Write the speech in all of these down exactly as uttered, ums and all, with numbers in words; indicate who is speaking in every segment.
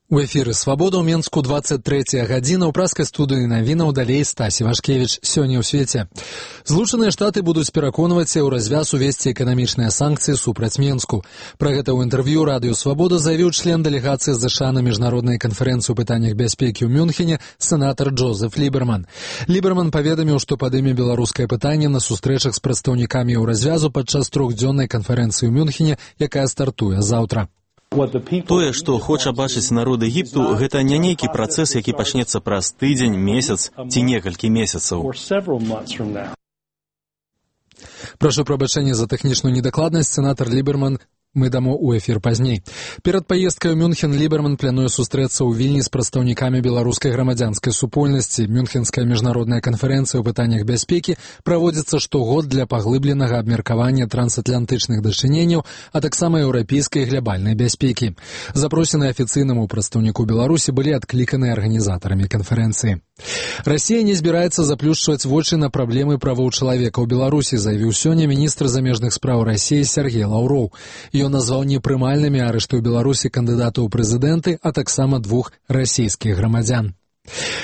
Speaker 1: У эфіры «Свабода» ў Менску двадцать третья гадзіна. У праскай студыі навінаў далей Стасі Вашкевіч. Сёння ў свеце. Злучаныя Штаты будуць пераконваць еўразвяз увесці эканамічныя санкцыі супраць Менску. Пра гэта ў інтэрв'ю радыё «Свабода» заявіў член дэлегацыі ЗША на міжнароднай канферэнцыі ў пытаннях бяспекі ў Мюнхене сенатар Джозеф Ліберман. Ліберман паведаміў, што падыме беларускае пытанне на сустрэчах з прадстаўнікамі еўразвязу падчас трохдзённай канферэнцыі ў Мюнхене, якая стартуе заўтра.
Speaker 2: Тое, што хоча бачыць народ Егіпту, гэта не нейкі працэс, які пачнецца праз тыдзень, месяц ці некалькі месяцаў.
Speaker 1: Прашу прабачэння за тэхнічную недакладнасць, сенатар Ліберман. Мы дамо ў эфір пазней. Перад паездкай у Мюнхен Ліберман плануе сустрэцца ў Вільні з прадстаўнікамі беларускай грамадзянскай супольнасці. Мюнхенская міжнародная канферэнцыя ў пытаннях бяспекі праводзіцца штогод для паглыбленага абмеркавання трансатлантычных дачыненняў, а таксама еўрапейскай глябальнай бяспекі. Запросеныя афіцыйнаму прадстаўніку Беларусі былі адкліканыя арганізатарамі канферэнцыі. Расія не збіраецца заплюшчваць вочы на праблемы правоў чалавека ў Беларусі, заявіў сёння міністр замежных спраў Расіі Сергей Лаўроў. Ён назваў непрымальнымі арышты ў Беларусі кандыдатаў у прэзідэнты, а таксама двух расійскіх грамадзян.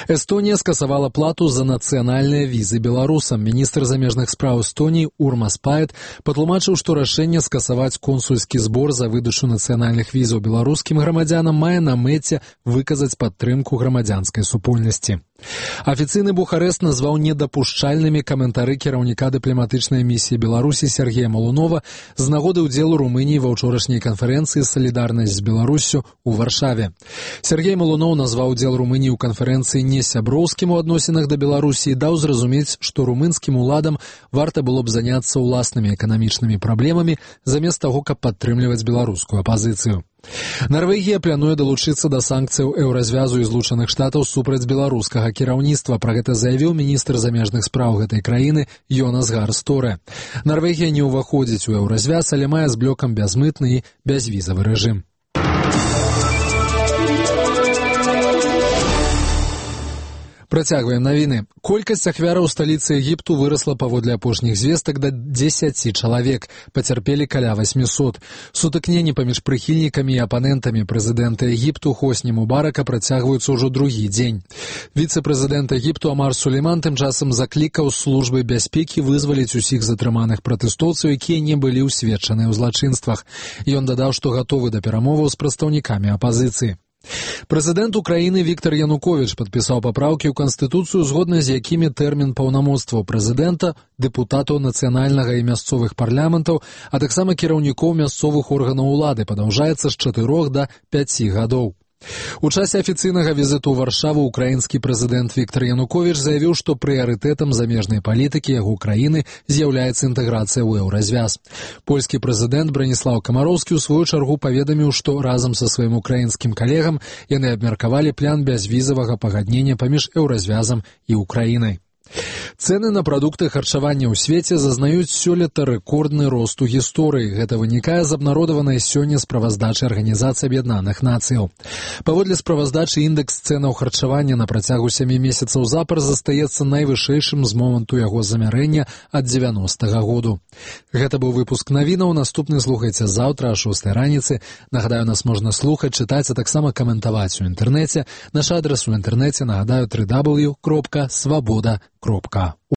Speaker 1: Эстонія скасавала плату за нацыянальныя візы беларусам. Міністр замежных спраў Эстоніі Урмас Паэт патлумачыў, што рашэнне скасаваць консульскі збор за выдачу нацыянальных візаў беларускім грамадзянам мае на мэце выказаць падтрымку грамадзянскай супольнасці. Афіцыйны Бухарэст назваў недапушчальнымі каментары кіраўніка дыпламатычнай місіі Беларусі Сергея Малунова з нагоды ўдзелу Румыніі ва ўчорашняй канферэнцыі «Салідарнасць з Беларуссю» у Варшаве. Сергей Малунов назваў удзел Румыніі ў канферэнцыі не сяброўскім у адносінах да Беларусі і даў зразумець, што румынскім уладам варта было б заняцца ўласнымі эканамічнымі праблемамі замест таго, каб падтрымліваць беларускую апазіцыю. Нарвегія плануе далучыцца да санкцыяў еўразвязу і Злучаных Штатаў супраць беларускага кіраўніцтва. Пра гэта заявіў міністр замежных спраў гэтай краіны Йонас Гар Сторе. Нарвегія не ўваходзіць у еўразвяз, але мае з блокам бязмытны і бязвізавы рэжым. Працягваем навіны. Колькасць ахвяраў сталіцы Егіпту вырасла паводле апошніх звестак да дзесяці чалавек. Пацярпелі каля васьмісот. Сутыкненні паміж прыхільнікамі і апанентамі прэзідэнта Егіпту Хосні Мубарака працягваюцца ўжо другі дзень. Віцэ-прэзідэнт Егіпту Амар Сулейман тым часам заклікаў службы бяспекі вызваліць усіх затрыманых пратэстоўцаў, якія не былі ўсведчаныя ў злачынствах. Ён дадаў, што гатовы да перамоваў з прадстаўнікамі апазіцыі. Прэзідэнт Украіны Віктор Януковіч падпісаў папраўкі ў Канстытуцыю, згодна з якімі тэрмін паўнамоцтваў прэзідэнта, дэпутатаў нацыянальнага і мясцовых парламентаў, а таксама кіраўнікоў мясцовых органаў улады падаўжаецца з чатырох да пяці гадоў. У часе афіцыйнага візіту ў Варшаву украінскі прэзідэнт Віктор Януковіч заявіў, што прыярытэтам замежнай палітыкі яго краіны з'яўляецца інтэграцыя ў еўразвяз. Польскі прэзідэнт Браніслаў Камароўскі ў сваю чаргу паведаміў, што разам са сваім украінскім калегам яны абмеркавалі план бязвізавага пагаднення паміж еўразвязам і Украінай. Цэны на прадукты харчавання ў свеце зазнаюць сёлета рэкордны рост у гісторыі. Гэта вынікае з абнародаванай сёння справаздачы Арганізацыі Аб'яднаных Нацыяў. Паводле справаздачы індэкс цэнаў харчавання на працягу сямі месяцаў запар застаецца найвышэйшым з моманту яго замярэння ад дзевяностага году. Гэта быў выпуск навінаў. Наступны слухайце заўтра о шостай раніцы. Нагадаю, нас можна слухаць, чытаць, а таксама каментаваць у інтэрнэце. Наш адрас у інтэрнэце, нагадаю, дабл ю дабл ю дабл ю кропка свабода кропка